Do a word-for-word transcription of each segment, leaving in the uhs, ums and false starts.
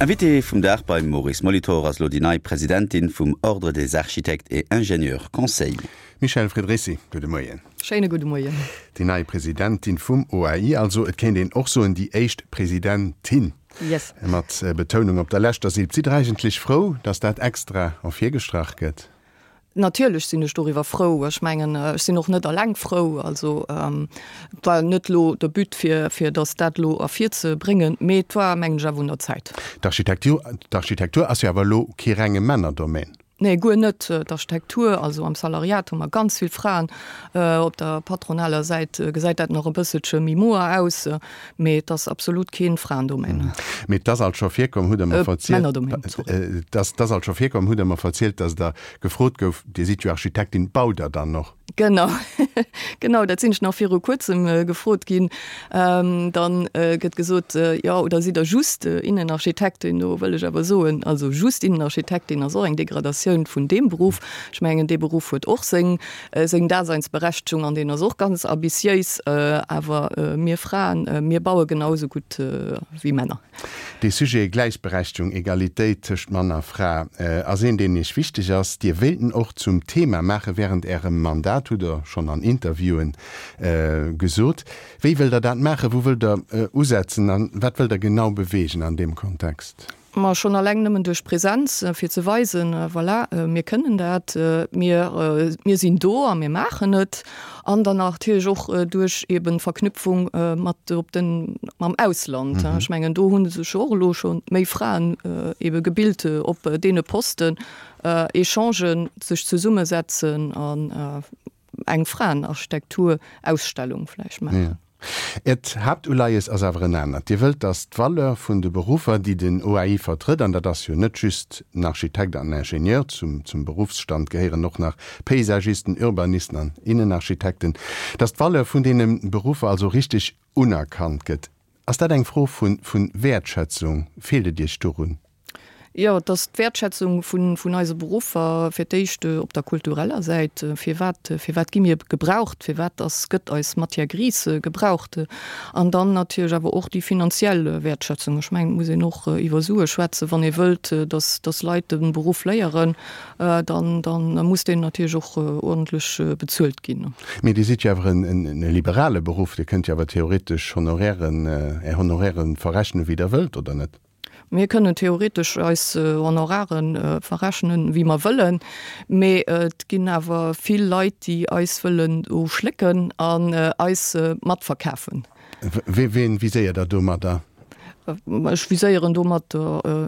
Invité vum Dag beim Maurice Molitor ass lo déi nei Presidentin vum Ordre des architectes et ingénieurs conseils. Michèle Friedrici, gudde Moien. Schéine gudde Moien. Déi nei Presidentin vum O A I, also et kéint een och soen déi éischt Presidentin. Yes. Mat Betounung op der leschter Silb. Sidd Der eigentlech frou, datt dat extra ervirgestrach gëtt? Natierlech sinn ech doriwwer frou. Ech mengen, ech sinn och net alleng frou. Also et war net lo de But fir, fir datt dat lo ervirzebréngen, mee et war, mengen ech, awer un der Zäit. D'Architektur, d'Architektur ass jo awer elo kee renge Männerdomaine. Nee, guer net. D'Architektur, also am Salariat hu mer ganz vill Fraen. Op der patronaler Säit gesäit dat nach e bësselche méi moer aus, mee et ass absolut kee Fraendomaine. Mee et ass alt scho virkomm, hutt Der mer verzielt. Männerdomaine, sorry. Et ass alt scho virkomm, hutt Der mer verzielt, datt Der gefrot gouf, Dir sidd jo Architektin, baut Der dann och? Genau, genau, dat sinn ech nach viru kuerzem gefrot ginn. Dann gëtt gesot, jo, oder sidd Der just Innenarchitektin? Do wëll ech awer soen, also just Innenarchitektin ass och eng Degradatioun vun deem Beruff. Ech mengen, dee Beruff huet och seng, seng Daseinsberechtegung an deen ass och ganz ambitiéis. Awer mir Fraen, mir baue genau esou gutt wéi Männer. Dee Sujet Gläichberechtegung, Egalitéit tëscht Mann a Fra ass een, deen Iech wichteg ass. Dir wéilt en och zum Thema maache wärend Ärem Mandat, hutt Der schonn an Interviewen gesot. Wéi wëllt Der dat maachen? Wou wëllt Der usetzen a wat wëllt Der genau beweegen an deem Kontext? Ma schonn alleng nëmmen duerch Präsenz, fir ze weisen, voilà, mir kënnen dat, mir, mir sinn do a mir maachen et. An dann natierlech och duerch eben Verknüpfung mat op den, mam Ausland. Ech mengen, do hu sech och elo scho méi Fraen ebe gebilt op deene Posten, Echangen, sech zesummesetzen an eng Fraenarchitektur-Ausstellung vläicht maachen. Äert Haaptuleies ass awer en anert. Dir wëllt, datt d'Valeur vun de Beruffer, déi den O A I vertrëtt, an dat ass jo net just den Architekt an den Ingenieur, zum zum Beruffsstand gehéieren och nach Paysagisten, Urbanisten an Innenarchitekten, datt d'Valeur vun deene Beruffer also richteg unerkannt gëtt. Ass dat eng Fro vu vu Wäertschätzung? Feelt et Iech dorun? Jo, et ass d'Wäertschätzung vun, vun eise Beruffer fir d'éischt op der kultureller Säit. Firwat, firwat gi mir gebraucht? Firwat ass, gëtt eis Matière grise gebraucht? An dann natierlech awer och déi finanziell Wäertschätzung. Ech mengen, et muss een och iwwer Sue schwätzen. Wann ee wëllt, dass, dass Leit de Beruff léieren, dann, dann muss deen natierlech och uerdentlech bezuelt ginn. Mee Dir sidd jo awer en, en liberale Beruff. Dir kënnt jo awer theoretesch Honorairen, Är Honorairen verrechnen, wéi Der wëllt, oder net? Mir kënnen theoretesch eis Honorare verrechnen, wéi mer wëllen, mee et ginn awer vill Leit, déi eis wëllen do schlécken an eis matverkafen. Ween viséiert Der domadder? Ech viséieren domat,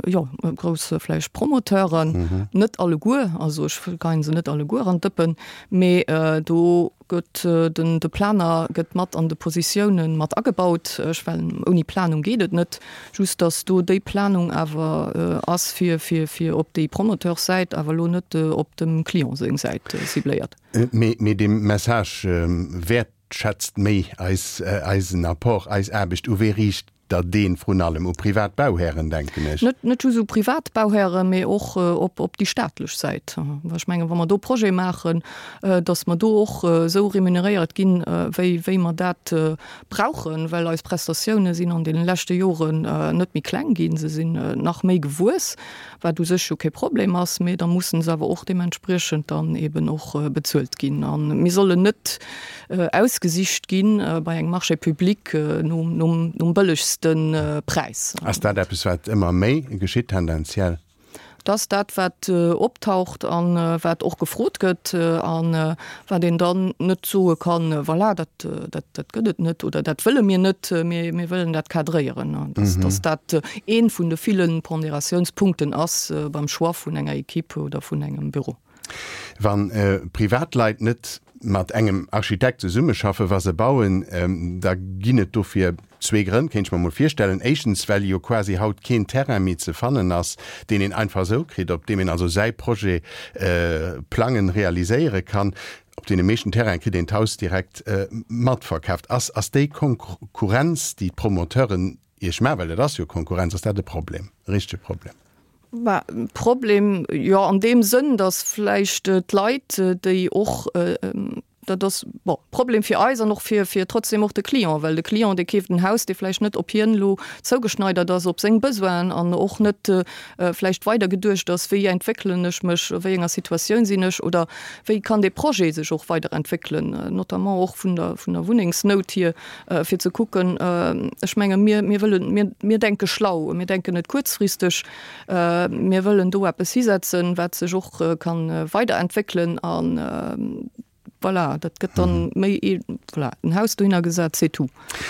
jo, grouss vläicht Promoteuren, net alleguer, also ech geien se net alleguer an d'Dëppen, mee do gëtt den de Planer gëtt mat an de Positiounen mat agebaut. Ech well ouni Planung geet et net, just datt do déi Planung awer ass fir fir fir op déi Promoteurssäit, awer elo net op dem Client seng Säit cibléiert. Mee mee dee Message wäertschätzt méi eis eisen Apport, eis Aarbecht, u wee riicht Der deen vrun allem? U privat Bauhären, denken ech. Net net just u privat Bauhären, mee och op op déi staatlech Säit. Well ech mengen, wa mer do Projete maachen, datt mer do och esou remuneréiert ginn, wéi wéi mer dat brauchen, well eis Prestatioune sinn an deene leschte Joren net méi kleng ginn, se sinn nach méi gewuess, wat u sech jo kee Problem ass, mee da mussen se awer och deementspriechend dann eben och bezuelt ginn. A mir sollen net ausgesicht ginn bei engem Marché public nom nom nom bëllegste Präis. Ass dat eppes, wat ëmmer méi geschitt tendenziell? Dat ass dat, wat optaucht a wat och gefrot gëtt a wat een dann net soe kann, voilà, dat, dat, dat gëtt et net oder dat wëlle mir net, mir, mir wëllen dat cadréieren. Dass, dass dat ee vun de ville Ponderatiounspunkten ass beim Choix vun enger Equipe oder vun engem Büro. Wa Privatleit net mat engem Architekt zesummeschaffen, wa se bauen, da ginn et dofir zwee Grënn, kéint ech mer mol virstellen. Éischtens, well jo quasi haut keen Terrain méi ze fannen ass, deen een einfach esou kritt, op deem een also säi Projet plangen, realiséiere kann. Op deene meeschten Terraine kritt een d'Haus direkt matverkaaft. Ass ass déi Konkurrenz, déi d'Promoteuren Iech maachen, well dat ass jo Konkurrenz, ass dat e Problem, e richtege Problem? Bah, Problem, jo, an deem Sënn, datt vläicht d'Leit, déi och Dat ass, bon, Problem fir eis an och fir, fir trotzdem och de Client, well de Client, dee keeft en Haus, dee vläicht net op hien elo zougeschneidert ass, op seng Besoinen an och net vläicht weider geduecht ass, wéi entwéckelen ech mech, a wéi enger Situatioun sinn ech oder wéi kann dee Projet sech och weiderentwéckelen, notamment och vun der, vun der Wunnengsnout hier, fir ze kucken, ech menge mir, mir wëllen, mir, mir denke schlau, mir denken net kuerzfristeg, mir wëllen do eppes hisetzen, wat sech och ka weiderentwéckelen an, voilà, dat gëtt dann méi ee, voilà, en Haus dohinner gesat, c'est tout.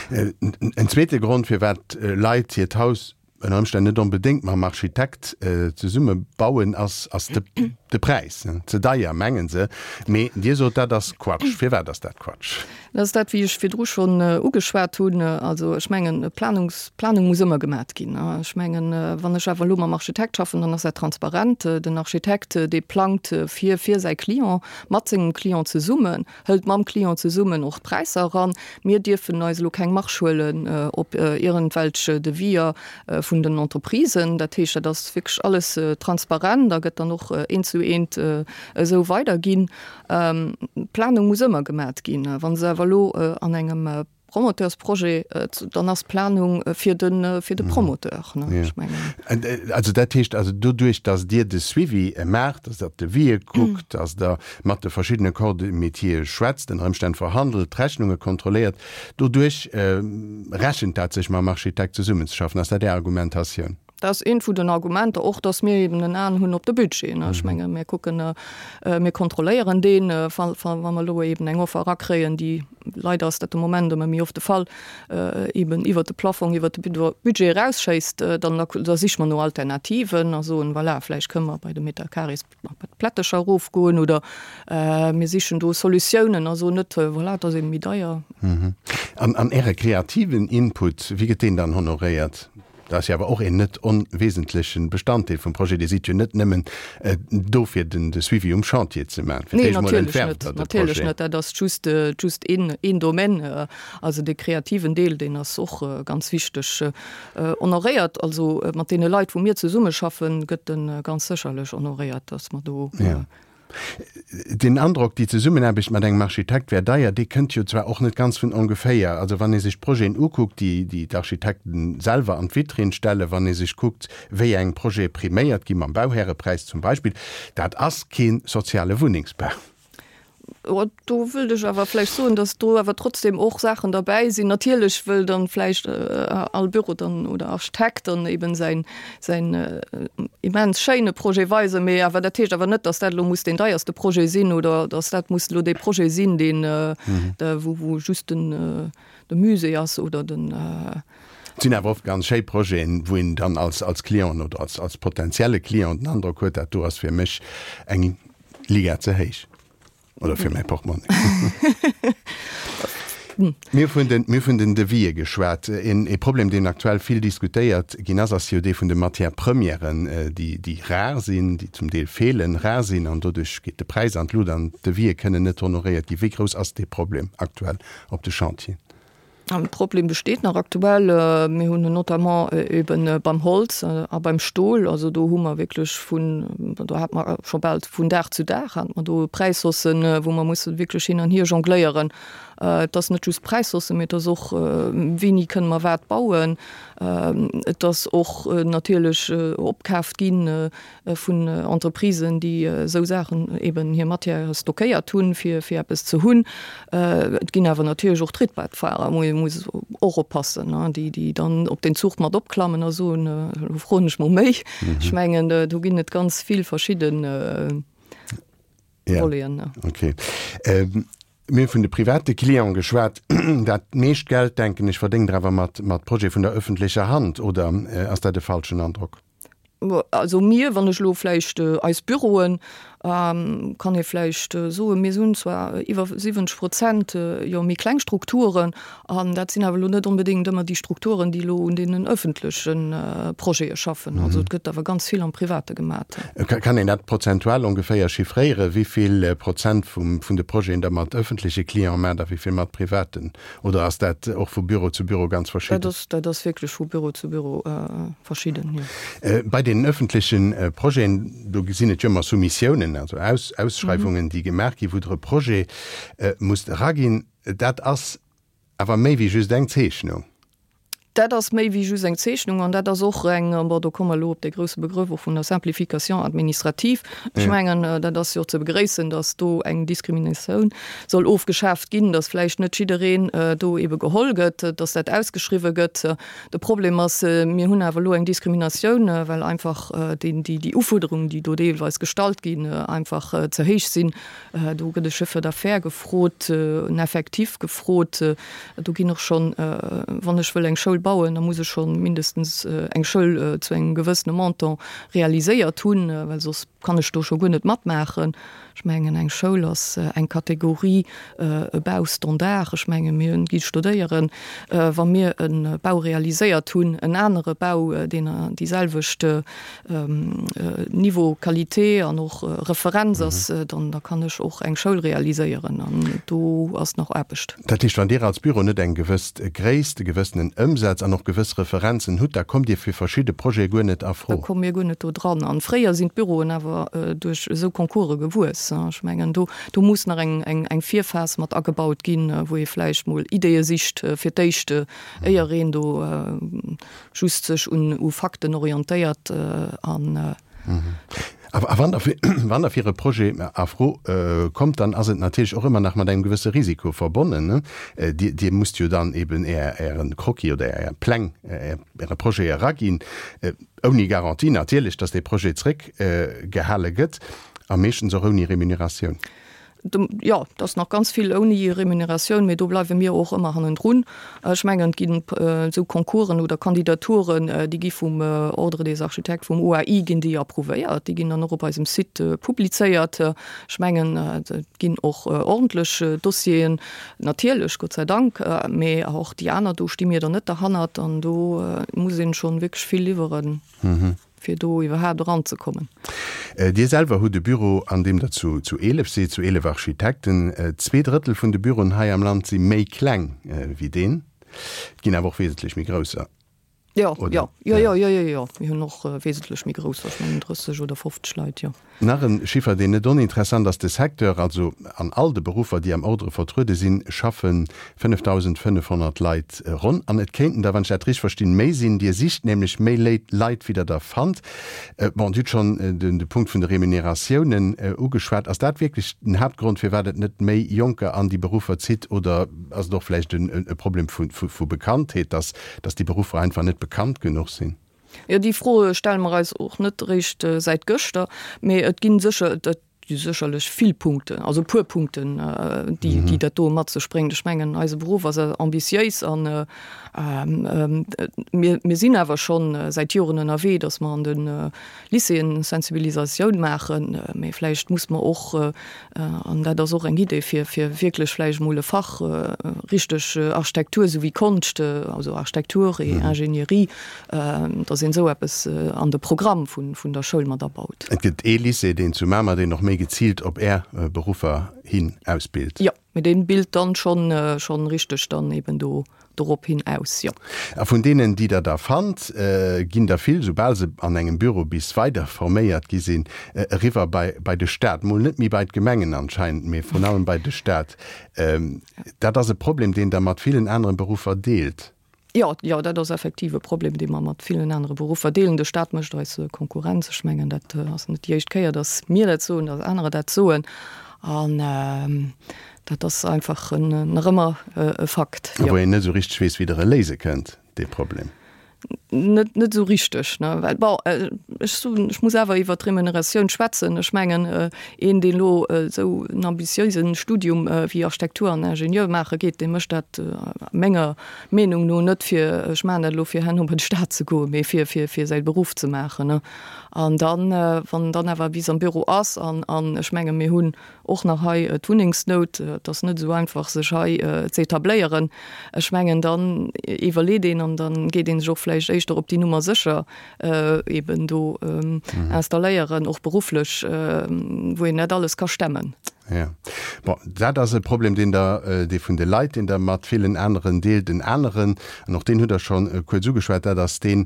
En zweete Grond, firwat Leit hiert Haus ënner Ëmstänn net onbedéngt mam Architekt zesumme bauen, ass, ass de, de Präis. Ze deier, mengen se. Mee Dir sot, dat ass Quatsch. Firwat ass dat Quatsch? Dat ass dat, wéi ech virdru schonn ugeschwat hunn. Also ech mengen, Planungs, Planung muss ëmmer gemat ginn. Ech mengen, wann ech awer elo mam Architekt schaffen, dann ass dat transparent. Den Architekt, dee plangt fir, fir säi Client, mat sengem Client zesummen, hëlt mam Client zesummen och d'Präisser eran. Mir dierfen eis elo keng Marge huelen op iergendwelch Deviser vun den Entreprisen. Dat heescht, dat ass wierklech alles transparent a gëtt dann och eent zu eent esou weiderginn. D'Planung muss ëmmer gemat ginn. Wa se awer elo an engem Promoteursprojet, dann ass d'Planung fir de, fir de Promoteur, ne, ech mengen. Also dat heescht also doduerch, datt Dir de Suivi maacht, datt Der d'Devisë kuckt, datt Der mat de verschiddene Corps de métiere schwätzt, ënner Ëmstänn verhandelt, d'Rechnunge kontrolléiert, doduerch rechent dat sech mam Architekt zesummenzeschaffen. Ass dat Är Argumentatioun? Dat ass eent vun den Argumenter, och datt mir eben en Aen hunn op de Budget. Ech menge mir kucken, mir kontrolléieren deen, wa mer elo eben eng Offer erakréien, déi, leider ass dat de Moment ëmmer méi oft de Fall, eben iwwert de Plafong, iwwert de Budget erausschéisst, dann da siche mer no Alternativen a soen, voilà, vläicht kënne mer bei de Meter carrés bei d'Plättecher erofgoen oder mir sichen do Solutiounen a soen net, voilà, et ass eben méi deier. An Äre kreativen Input, wéi gëtt deen dann honoréiert? Dat ass jo awer och een net onwesentlechen Bestanddeel vum Projet. Dir sidd jo net nëmmen do fir den de Suivi um Chantier ze maachen. Fir Nee, d'éischt mol natierlech entwerft net, Der de natierlech Projet. net. Dat ass just, just een, een Domaine. Also dee kreativen Deel, deen ass och ganz wichteg. Honoréiert, also mat deene Leit, wou mir zesummeschaffen, gëtt e ganz sécherlech honoréiert, dass mer do. Ja. Den Androck, déi Zesummenaarbecht mat engem Architekt wär deier, dee kënnt jo zwar och net ganz vun ongeféier. Also wann ee sech d'Projeten ukuckt, déi déi d'Architekten selwer an d'Vitrinn stellen, wann ee sech kuckt, wéi eng Projete priméiert gi mam Bauhärepräis zum Beispill, dat ass kee soziale Wunnengsbau. Do wëllt ech awer vläicht soen, datt do awer trotzdem och Saachen derbäi sinn. Natierlech wëll dann vläicht all Büro dann oder Architekt dann eben säin, säin immens schéine Projet weisen, mee awer dat heescht awer net, datt dat elo muss deen deierste Projet sinn oder datt dat muss elo dee Projet sinn, deen, wou, wou just den, de Musée ass oder den. Et sinn awer oft ganz schéi Projeten, wou een dann als, als Client oder als, als potenzielle Client den Androck huet, dat do ass fir mech eng Liga ze héich. Oder fir mäi Portmonni. Mir vun den, mir vun den Devisë geschwat. Een, ee Problem, deen aktuell vill diskutéiert ginn ass, ass jo dee vun de Matières premièren, déi, déi rar sinn, déi zum Deel feelen, rar sinn an doduerch geet de Präis an d'Lut an d'Devisë kënnen net honoréiert ginn. Wéi grouss ass dee Problem aktuell op de Chantieren? An de Problem besteet nach aktuell. Mir hunn en notamment eben beim Holz a beim Stol. Also do hu mer wierklech vun, do hat mer scho bal vun Dag zu Dag hat mer do Präishaussen, wou mer musse wierklech hin an hier jongléieren. Et ass net just Präishaussen, mee et ass och, wéini kënne mer wat bauen. Et ass och natierlech opkaaft ginn, vun Entreprisen, déi esou Saachen eben hir Matièrë stockéiert hunn, fir fir eppes ze hunn. Et ginn awer natierlech och Trittbrettfahrer, wou ee muss och oppassen, déi déi dann op deen Zuch mat opklammen a soen, elo froen ech mol méi. Ech mengen, do ginn et ganz vill verschidde Voleten. Ja, okay. Mir hu vun de private Cliente geschwat. Dat meescht Geld, denken ech, verdéngt Der awer mat mat Projete vun der öffentlecher Hand, oder ass dat e falschen Androck? Also mir, wann ech elo vläicht eis Büroen, kann ee vläicht soen, mir hunn zwar iwwer siwwenzeg Prozent jo méi kleng Strukturen, an dat sinn awer elo net onbedéngt ëmmer déi Strukturen, déi elo un deenen öffentleche Projete schaffen. Also et gëtt awer ganz vill am Private gemat. Kann een dat prozentual ongeféier chiffréieren, wéi vill Prozent vum vun de Projeten Der mat öffentleche Cliente maacht a wéi vill mat privaten? Oder ass dat och vu Büro zu Büro ganz verschidden? Dat ass, dat ass wierklech vu Büro zu Büro verschidden, jo. Bei deenen öffentleche Projeten, do sinn et jo ëmmer Soumissiounen, also Ausschreiwungen, déi gemaach ginn, wou Der e Projet musst eraginn. Dat ass awer méi wéi just eng Zeechnung. Dat ass méi wéi just eng Zeechnung an dat ass och eng, bon, do komme mer elo op dee grouse Begrëff och vun der Simplification administrative. Ech mengen, dat ass jo och ze begréissen, dass do eng Diskriminatioun soll ofgeschaaft ginn, dass vläicht net jiddereen do ebe geholl gëtt, dass dat ausgeschriwwen gëtt. De Problem ass, mir hunn awer elo eng Diskriminatioun, well einfach déi, déi Ufuerderungen, déi do deelweis gestallt ginn, einfach ze héich sinn. Do gëtt e Chiffre d'affaires gefrot, en Effectif gefrot. Do ginn och schonn, wann ech wëll eng Schoul bauen, da muss ech scho mindestens eng Schoul zu engem gewëssene Montant realiséiert hunn, well soss kann ech do scho guer net matmaachen. Ech mengen, eng Schoul ass eng Kategorie, e Baustandard. Ech menge mir gi studéieren, wa mir e Bau realiséiert hunn, en anere Bau, deen déi selwecht Niveau Qualité an och Referenz ass, dann da kann ech och eng Schoul realiséieren. An do ass nach Aarbecht. Dat heescht, wann Dir als Büro net eng gewëss Gréisst, e gewëssenen Ëmsaz an och gewëss Referenzen hutt, da kommt Dir fir verschidde Projete guer net a Fro? Da komme mir guer net do dran. An fréier sinn d'Büroen awer duerch esou Concourse gewuess. Ech mengen, do do muss nach eng eng eng Virphas mat agebaut ginn, wou ee vläicht mol Ideeë sicht fir d'éischt, éier een do just sech un u Fakten orientéiert an. A wann Der wann Der fir e Projet a Fro kommt, dann ass et natierlech och ëmmer nach mat engem gewësse Risiko verbonnen. Dir Dir musst jo dann eben Är Äre Croquis oder Är Pläng, Äre Projet eraginn, ouni Garantie natierlech, dass dee Projet zréckgehale gëtt a meeschtens och ouni Remuneratioun. Jo, et ass nach ganz vill ouni Remuneratioun, mee do bleiwe mir och ëmmer hannendrun. Ech mengen, et ginn esou Concoursen oder Kandidaturen, déi gi vum Ordre des architectes, vum O A I ginn déi approuvéiert, déi ginn dann och op eisem Site publizéiert. Ech mengen, et ginn och ordentlech Dossieren, natierlech, Gott sei Dank, mee och déi aner, do sti mir dann net derhannert an do muss een schonn wierklech vill liwweren. Fir do iwwerhaapt eranzekommen. Dir selwer hutt e Büro, an deem Der zu zu eelef sidd, zu eelef Architekten. Zwee Drëttel vun de Büroen hei am Land si méi kleng wéi deen. Et ginn awer och wesentlech méi grousser, Jo, jo, jo, jo, jo, jo, jo. Mir hunn och wesentlech méi grousser, ech mengen drësseg oder fofzeg Leit, jo. Nach e Chiffer, deen net oninteressant ass, De Secteur, also an all de Beruffer, déi am Ordre vertruede sinn, schaffe fënnefdausendfënnefhonnert Leit ronn. An et kéinten der, wann ech dat richteg verstinn, méi sinn. Dir sicht nämlech méi Leit, wéi der der fannt. Bon, Dir hutt schonn de Punkt vun de Remuneratiounen ugeschwat. Ass dat wierklech den Haaptgrond, firwat et net méi Jonker an déi Beruffer zitt? Oder ass et och vläicht e Problem vu Bekanntheet, dass déi Beruffer einfach net bekannt genuch sinn? Jo, déi Fro stelle mer eis och net eréischt säit gëschter, mee et gi sécher, et gi sécherlech vill Punkten, also e puer Punkten, déi, déi dat do mat sech bréngt. Ech mengen, eise Beruff ass ambitiéis an mir, mir sinn awer scho säit Joren ënnerwee, datt mer an de Lycéeën Sensibilisatioun maachen, mee vläicht muss mer och, an dat ass och eng Idee, fir, fir wierklech vläicht emol e Fach richteg Architektur souwéi Konscht, also Architecture et Ingénierie, dass een esou eppes an de Programm vun, vun der Schoul mat abaut. Et gëtt ee Lycée, deen zu Mamer, deen och méi geziilt op Är Beruffer hin ausbilt. Jo, mee dee bilt dann schonn, schonn richteg dann eben do dorop hin aus, jo. A vun deenen, déi Der da fannt, ginn der vill, soubal se an engem Büro bis weider forméiert gi sinn, eriwwer bei, bei de Staat. Mol net méi bei d'Gemengen anscheinend, mee vrun allem bei de Staat. Dat ass e Problem, deen Der mat villen aneren Beruffer deelt. Jo, jo, dat ass effektiv e Problem, dee mer mat villen anere Beruffer deelen. De Staat mécht eis Konkurrenz. Ech mengen, dat ass net déi éischt Kéier, datt mir dat soen, datt anerer dat soen. An dat ass einfach nach ëmmer e Fakt, jo. Wou een net esou richteg weess, wéi Der e léise kënnt, dee Problem. Net, net esou richteg, ne? Well, bon, ech soen, ech muss awer iwwert d'Remuneratioun schwätzen. Ech mengen, een, deen elo esou en ambitiéise Studium wéi Architektur an Ingenieur maache geet, dee mécht dat menger Meenung no net fir, ech maachen dat elo fir herno bei de Staat ze goen, mee fir, fir, fir säi Beruff ze maachen, ne? An dann, wann en dann awer bis am Büro ass, an, an ech menge mir hunn och nach hei d'Wunnengsnout, et ass net esou einfach sech hei ze etabléieren, ech mengen dann iwwerleet een an dann geet ee sech och vläicht éischter op déi Nummer sécher eben do installéieren, och berufflech, wou een net alles ka stemmen. Ja. Bon, dat ass e Problem, deen Der, dee vun de Leit, deen Der mat villen aneren deelt. En aneren, an och deen hutt Der schonn kuerz ugeschwat, dat ass dee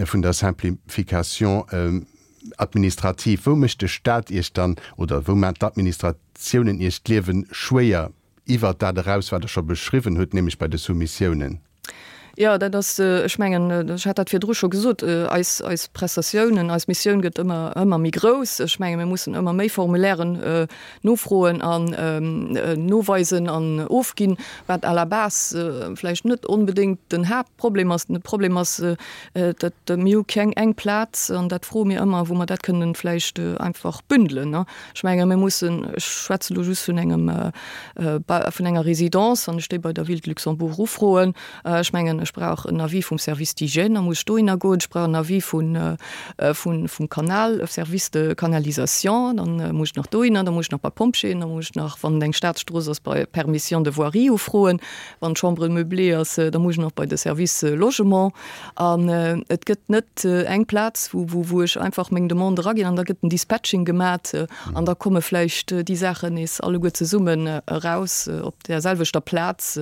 vun der Simplification administrative. Wou mécht de Staat Iech dann, oder wou maachen d'Administratiounen Iech d'Liewe schwéier iwwert dat eraus, wat Der scho beschriwwen hutt, nämlech bei de Soumissiounen? Jo, dat ass, ech mengen, ech hat dat virdru scho gesot, eis, eis Prestatiounen, eis Missioun gëtt ëmmer, ëmmer méi grouss. Ech menge mir mussen ëmmer méi Formulairen nofroen an noweisen an ofginn, wat à la base vläicht net onbedéngt den Haaptproblem ass. De Problem ass, datt mir hu keng eng Plaz, an dat froe mir ëmmer, wou mer dat kënnen vläicht einfach bündelen. Ech menge mir mussen, ech schwätze lo just vun engem, vun enger Résidence, wann ech déi bei der Ville de Luxembourg ufroen, ech mengen, ech brauch en Avis vum Service d'hygiène, da muss ech dohinner goen, ech brauch en Avis vun, vun, vum Kanal, Service de canalisation, dann muss ech nach dohinner, da muss ech nach bei Pompjeeën, da muss ech nach, wann et eng Staatsstrooss ass, bei Permission de voirie ufroen, wann et Chambre meublée ass, da muss ech nach bei de Service logement. An et gëtt net eng Plaz, wou, wou, wou ech einfach meng Demande eraginn an da gëtt en Dispatching gemat an da komme vläicht déi Saachen nees alleguer zesummen eraus op där selwechter Plaz.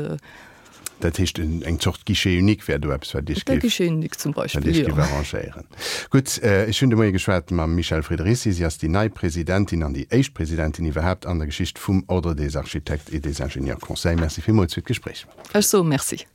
Dat heescht, eng Zort Guichet unique wär do eppes, wat Iech géif, Guichet unique zum Beispill, wat Iech géif arrangéieren. Gutt, ech hunn de Moie geschwat mam Michèle Friederici. Si ass déi nei Presidentin an déi éischt Presidentin iwwerhaapt an der Geschicht vum Ordre des Architectes et des Ingénieurs Conseils. Merci villmools fir d'Gespréich. Ech soe Merci.